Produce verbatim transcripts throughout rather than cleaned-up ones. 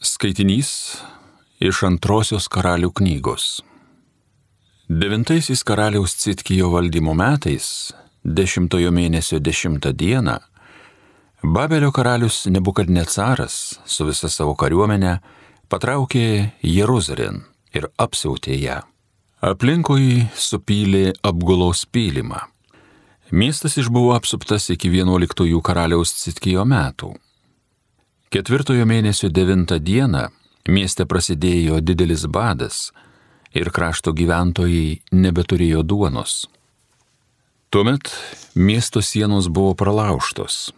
Skaitinys iš antrosios karalių knygos. Devintaisiais karaliaus Citkijo valdymo metais, dešimtojo mėnesio dešimtą dieną, Babelio karalius Nebukadnecaras su visa savo kariuomene patraukė Jeruzalėn ir apsiautė ją. Aplinkui supylė apgulos pylimą. Miestas išbuvo apsuptas iki vienuoliktųjų karaliaus Citkijo metų. Ketvirtojo mėnesio devintą dieną mieste prasidėjo didelis badas ir krašto gyventojai nebeturėjo duonos. Tuomet miesto sienos buvo pralaužtos.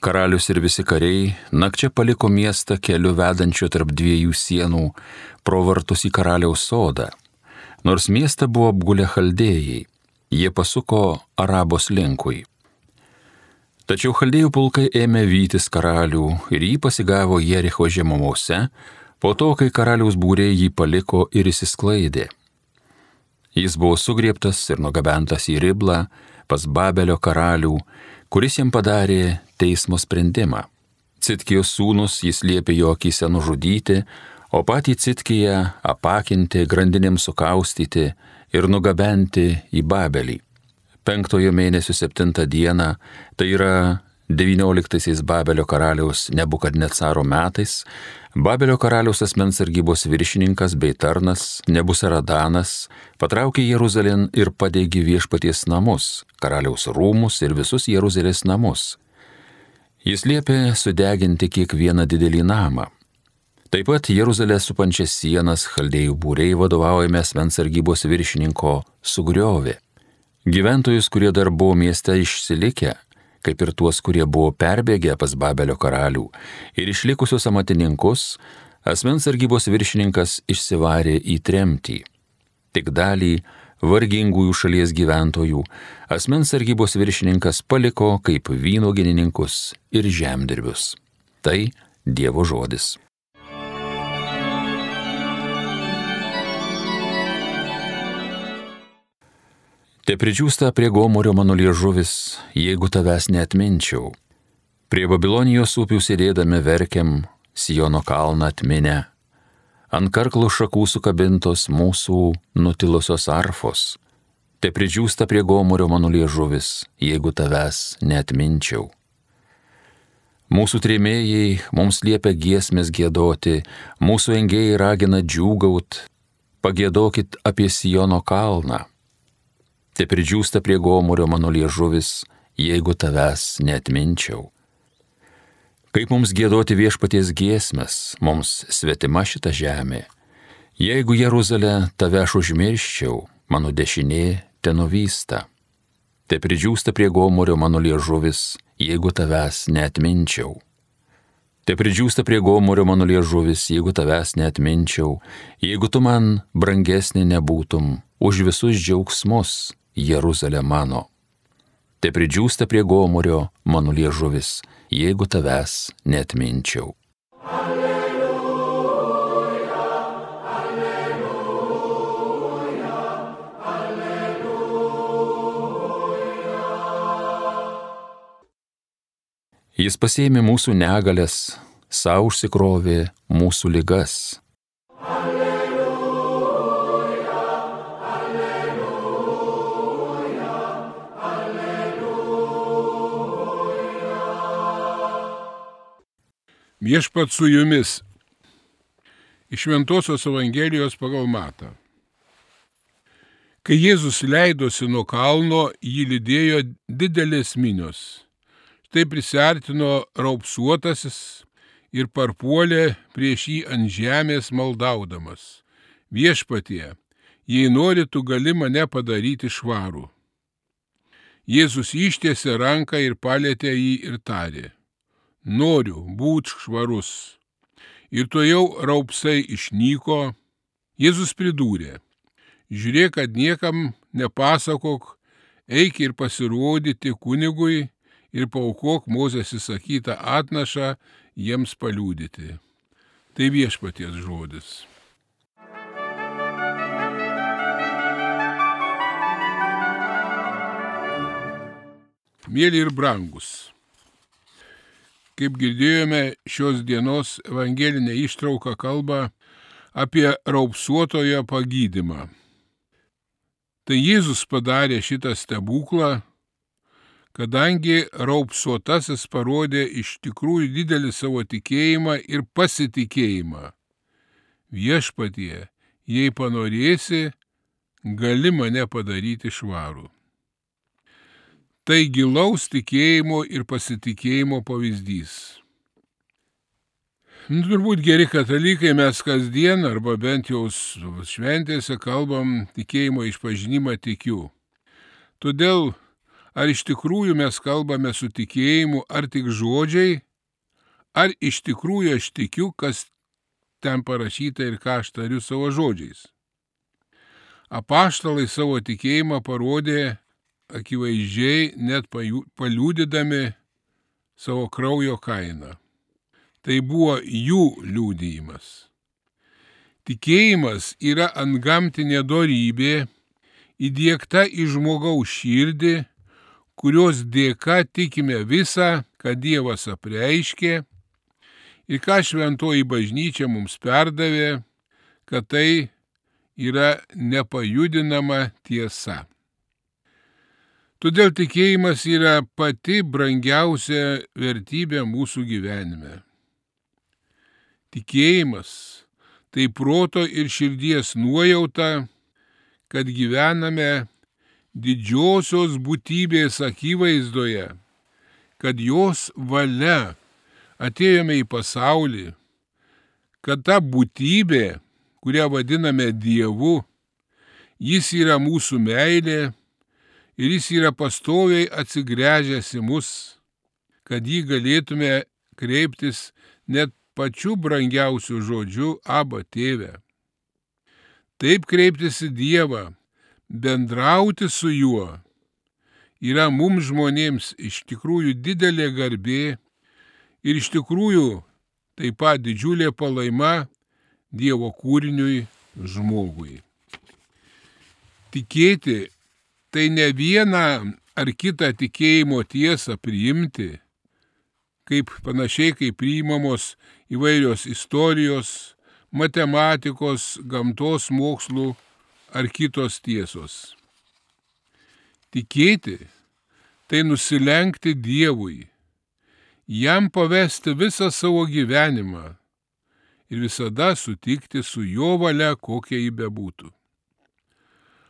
Karalius ir visi kariai nakčia paliko miestą keliu vedančiu tarp dviejų sienų pro vartus į karaliaus sodą. Nors miestą buvo apgulę chaldėjai, jie pasuko Arabos linkui. Tačiau chaldėjų pulkai ėmė vytis karalių ir jį pasigavo Jericho žemumose, po to, kai karaliaus būriai jį paliko ir išsisklaidė. Jis buvo sugriebtas ir nugabentas į Riblą pas Babelio karalių, kuris jam padarė teismo sprendimą. Citkijos sūnus jis liepė jo akyse nužudyti, o patį Citkiją apakinti, grandinėms sukaustyti ir nugabenti į Babelį. Penktojo mėnesio septintą dieną, tai yra devynioliktaisiais Babelio karaliaus Nebukadnecaro metais, Babelio karaliaus asmens sargybos viršininkas bei tarnas Nebusaradanas patraukė Jeruzalėn ir padegė viešpaties namus, karaliaus rūmus ir visus Jeruzalės namus. Jis liepė sudeginti kiekvieną didelį namą. Taip pat Jeruzalę supančias sienas chaldėjų būriai vadovaujami asmens sargybos viršininko sugriovė. Gyventojus, kurie dar buvo mieste išsilikę, kaip ir tuos, kurie buvo perbėgę pas Babelio karalių, ir išlikusius amatininkus, asmens sargybos viršininkas išsivarė į tremtį. Tik dalį vargingųjų šalies gyventojų asmens sargybos viršininkas paliko kaip vynuogininkus ir žemdirbius. Tai Dievo žodis. Te pridžiūsta prie Gomorio mano liežuvis, jeigu tavęs neatminčiau. Prie Babilonijos upių sėdėdami verkiam, Siono kalną atminę. Ant karklų šakų sukabintos mūsų nutilusios arfos. Te pridžiūsta prie Gomorio mano liežuvis, jeigu tavęs neatminčiau. Mūsų trėmėjai mums liepia giesmės giedoti, mūsų engėjai ragina džiūgaut, pagiedokit apie Siono kalną. Te pridžiūsta prie Gomorio mano liežuvis, jeigu tavęs neatminčiau. Kaip mums giedoti viešpaties giesmes, mums svetima šita žemė. Jeigu Jeruzalę tave aš užmirščiau, mano dešinė te nuvysta. Te pridžiūsta prie Gomorio mano liežuvis, jeigu tavęs neatminčiau. Te pridžiūsta prie Gomorio mano liežuvis, jeigu tavęs neatminčiau, jeigu tu man brangesnė nebūtum už visus džiaugsmus, Jeruzalė mano. Te pridžiūsta prie Gomorio mano liežuvis, jeigu tavęs neatminčiau. Alleluja, alleluja, alleluja. Jis pasėmė mūsų negalės, sau užsikrovė mūsų ligas. Viešpats su jumis. Iš Šventosios Evangelijos pagal Matą. Kai Jėzus leidosi nuo kalno, jį lydėjo didelės minios. Štai prisiartino raupsuotasis ir parpuolė prieš jį ant žemės maldaudamas. Viešpatie, jei nori, tu gali mane padaryti švarų. Jėzus ištiesė ranką ir palietė jį ir tarė: Noriu, būt švarus. Ir tuojau raupsai išnyko. Jėzus pridūrė: Žiūrėk, kad niekam nepasakok, eik ir pasirodyti kunigui ir paaukok Mozės įsakytą atnašą jiems paliudyti. Tai viešpaties žodis. Mėly ir brangus, Kaip girdėjome, šios dienos evangelinė ištrauka kalba apie raupsuotojo pagydymą. Tai Jėzus padarė šitą stebuklą, kadangi raupsuotasis parodė iš tikrųjų didelį savo tikėjimą ir pasitikėjimą. Viešpatie, jei panorėsi, gali mane padaryti švarų. Tai gilaus tikėjimo ir pasitikėjimo pavyzdys. Nu, turbūt geri katalikai mes kasdien arba bent jau šventėse kalbam tikėjimo išpažinimą tikiu. Todėl ar iš tikrųjų mes kalbame su tikėjimu, ar tik žodžiai, ar iš tikrųjų aš tikiu, kas ten parašyta ir ką aš tariu savo žodžiais. Apaštalai savo tikėjimą parodė akivaizdžiai, net paliudydami savo kraujo kainą. Tai buvo jų liudijimas. Tikėjimas yra antgamtinė dorybė, įdiegta į žmogaus širdį, kurios dėka tikime visą, ką Dievas apreiškė ir ką šventoji bažnyčia mums perdavė, kad tai yra nepajudinama tiesa. Todėl tikėjimas yra pati brangiausia vertybė mūsų gyvenime. Tikėjimas tai proto ir širdies nuojauta, kad gyvename didžiosios būtybės akivaizdoje, kad jos valia atėjome į pasaulį, kad ta būtybė, kurią vadiname Dievu, jis yra mūsų meilė ir jis yra pastoviai atsigręžęs į mus, kad jį galėtume kreiptis net pačiu brangiausiu žodžiu Aba Tėve. Taip kreiptis į Dievą, bendrauti su juo, yra mums žmonėms iš tikrųjų didelė garbė ir iš tikrųjų taip pat didžiulė palaima Dievo kūriniui žmogui. Tikėti tai ne vieną ar kitą tikėjimo tiesą priimti, kaip panašiai kaip priimamos įvairios istorijos, matematikos, gamtos mokslų ar kitos tiesos. Tikėti tai nusilenkti Dievui, jam pavesti visą savo gyvenimą ir visada sutikti su jo valia, kokia ji bebūtų.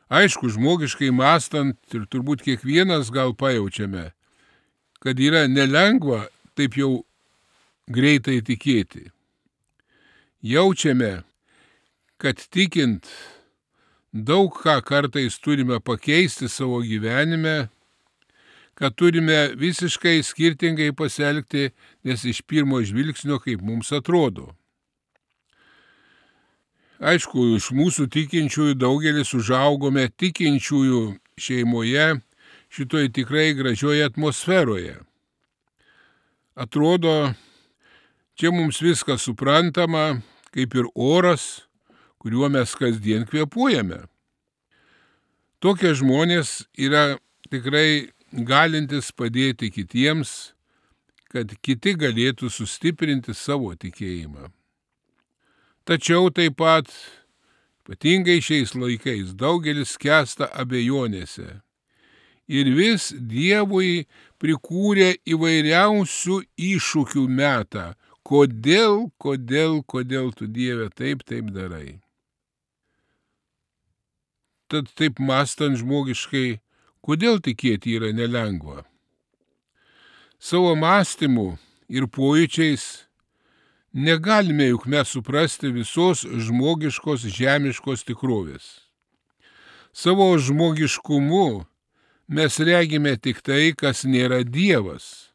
Aišku, žmogiškai mąstant ir turbūt kiekvienas gal pajaučiame, kad yra nelengva taip jau greitai tikėti. Jaučiame, kad tikint daug ką kartais turime pakeisti savo gyvenime, kad turime visiškai skirtingai pasielgti, nes iš pirmo žvilgsnio kaip mums atrodo. Aišku, iš mūsų tikinčiųjų daugelis užaugome tikinčiųjų šeimoje, šitoje tikrai gražioje atmosferoje. Atrodo, čia mums viskas suprantama, kaip ir oras, kuriuo mes kasdien kvėpuojame. Tokie žmonės yra tikrai galintis padėti kitiems, kad kiti galėtų sustiprinti savo tikėjimą. Tačiau taip pat, ypatingai šiais laikais, daugelis skęsta abejonėse ir vis Dievui prikūrė įvairiausių iššūkių metą. Kodėl, kodėl, kodėl tu Dieve taip, taip darai? Tad taip mąstant žmogiškai, kodėl tikėti yra nelengva? Savo mąstymu ir pojūčiais negalime juk mes suprasti visos žmogiškos žemiškos tikrovės. Savo žmogiškumu mes regime tik tai, kas nėra Dievas.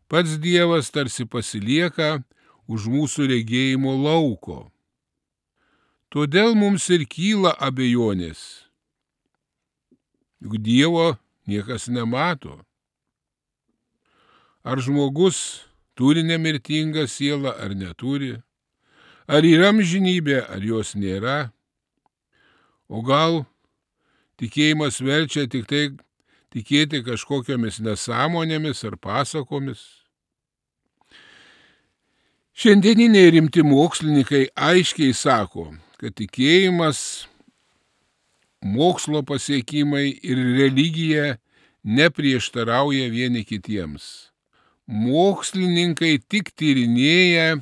Pats Dievas tarsi pasilieka už mūsų regėjimo lauko. Todėl mums ir kyla abejonės. Juk Dievo niekas nemato. Ar žmogus turi nemirtingą sielą ar neturi? Ar yra amžinybė, ar jos nėra? O gal tikėjimas verčia tik tai tikėti kažkokiamis nesąmonėmis ar pasakomis? Šiandieniniai rimti mokslininkai aiškiai sako, kad tikėjimas, mokslo pasiekimai ir religija neprieštarauja vieni kitiems. Mokslininkai tik tyrinėja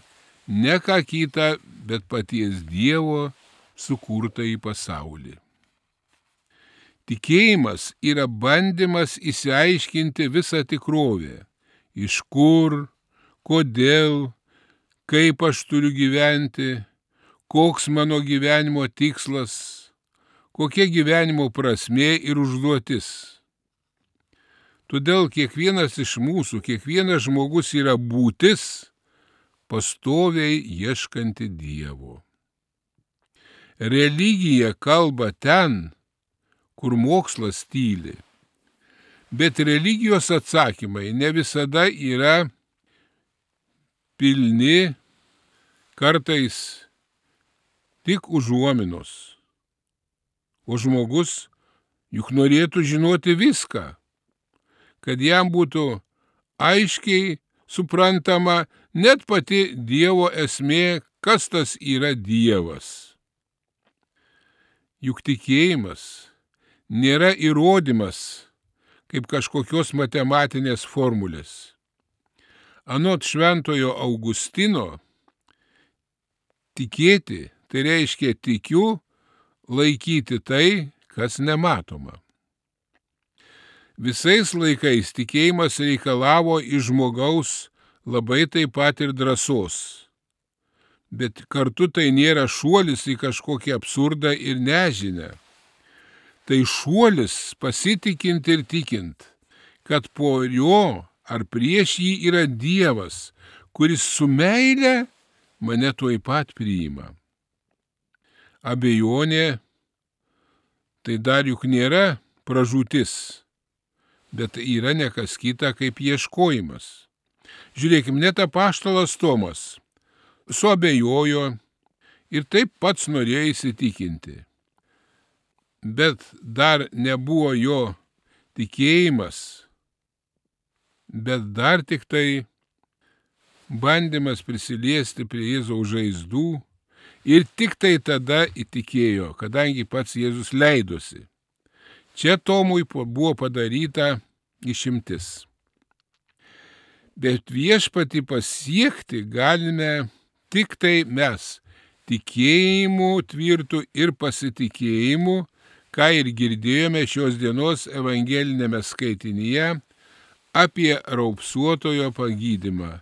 ne ką kitą, bet paties Dievo sukurtą į pasaulį. Tikėjimas yra bandymas išsiaiškinti visą tikrovę. Iš kur, kodėl, kaip aš turiu gyventi, koks mano gyvenimo tikslas, kokia gyvenimo prasmė ir užduotis. Todėl kiekvienas iš mūsų, kiekvienas žmogus yra būtis, pastoviai ieškanti Dievo. Religija kalba ten, kur mokslas tyli, bet religijos atsakymai ne visada yra pilni, kartais tik užuominos. O žmogus juk norėtų žinoti viską, kad jam būtų aiškiai suprantama net pati Dievo esmė, kas tas yra Dievas. Juk tikėjimas nėra įrodymas kaip kažkokios matematinės formulės. Anot šventojo Augustino, tikėti tai reiškia tikiu laikyti tai, kas nematoma. Visais laikais tikėjimas reikalavo iš žmogaus labai taip pat ir drąsos. Bet kartu tai nėra šuolis į kažkokį absurdą ir nežinę. Tai šuolis pasitikint ir tikint, kad po jo ar prieš jį yra Dievas, kuris su meile mane tuoj pat priima. Abejonė tai dar juk nėra pražūtis, bet yra ne kas kita kaip ieškojimas. Žiūrėkim, net apaštalas Tomas suabejojo ir taip pats norėjo įsitikinti. Bet dar nebuvo jo tikėjimas, bet dar tik tai bandymas prisiliesti prie Jėzaus žaizdų ir tik tai tada įtikėjo, kadangi pats Jėzus leidosi. Čia Tomui buvo padaryta išimtis. Bet viešpatį pasiekti galime tik tai mes, tikėjimu tvirtų ir pasitikėjimu, ką ir girdėjome šios dienos evangelinėme skaitinyje apie raupsuotojo pagydymą,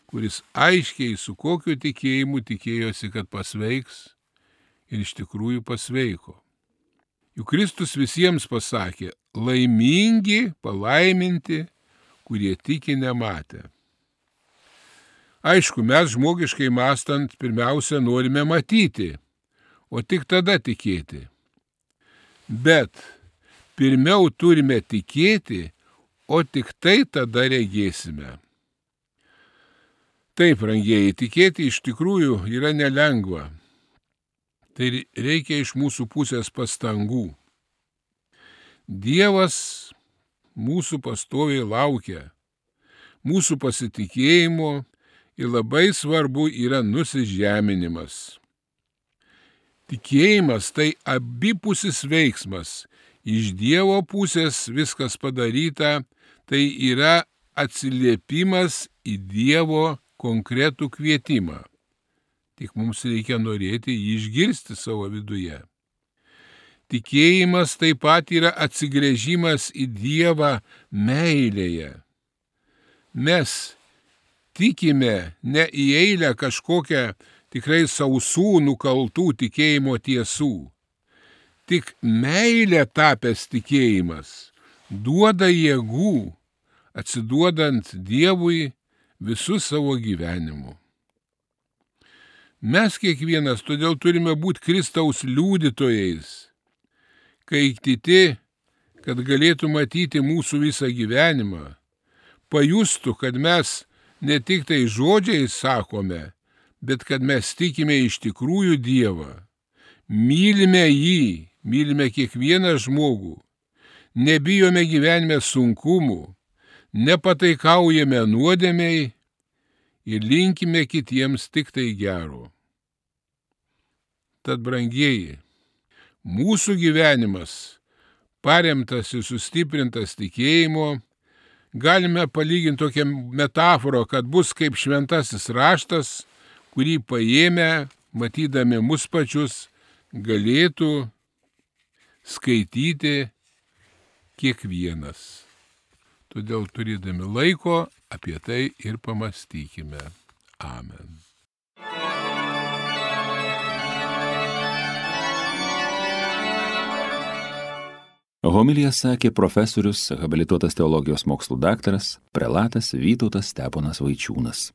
kuris aiškiai su kokiu tikėjimu tikėjosi, kad pasveiks ir iš tikrųjų pasveiko. Juk Kristus visiems pasakė, laimingi, palaiminti, kurie tiki nematę. Aišku, mes žmogiškai mąstant pirmiausia norime matyti, o tik tada tikėti. Bet pirmiau turime tikėti, o tik tai tada regėsime. Taip, brangieji, tikėti iš tikrųjų yra nelengva. Tai reikia iš mūsų pusės pastangų. Dievas mūsų pastoviai laukia, mūsų pasitikėjimo ir labai svarbu yra nusižeminimas. Tikėjimas tai abipusis veiksmas. Iš Dievo pusės viskas padaryta, tai yra atsiliepimas į Dievo konkretų kvietimą. Tik mums reikia norėti jį išgirsti savo viduje. Tikėjimas taip pat yra atsigręžimas į Dievą meilėje. Mes tikime ne į eilę kažkokią tikrai sausų nukaltų tikėjimo tiesų. Tik meilė tapęs tikėjimas duoda jėgų, atsiduodant Dievui visų savo gyvenimu. Mes kiekvienas todėl turime būti Kristaus liudytojais, kai kiti, kad galėtų matyti mūsų visą gyvenimą, pajustų, kad mes ne tik tai žodžiais sakome, bet kad mes tikime iš tikrųjų Dievą, mylime jį, mylime kiekvieną žmogų, nebijome gyvenime sunkumų, nepataikaujame nuodėmei ir linkime kitiems tik tai gero. Tad, brangieji, mūsų gyvenimas, paremtas ir sustiprintas tikėjimo, galime palyginti tokią metaforą, kad bus kaip šventasis raštas, kurį paėmę, matydami mus pačius, galėtų skaityti kiekvienas. Todėl turėdami laiko apie tai ir pamastykime. Amen. Homiliją sakė profesorius, habilituotas teologijos mokslų daktaras, prelatas Vytautas Steponas Vaičiūnas.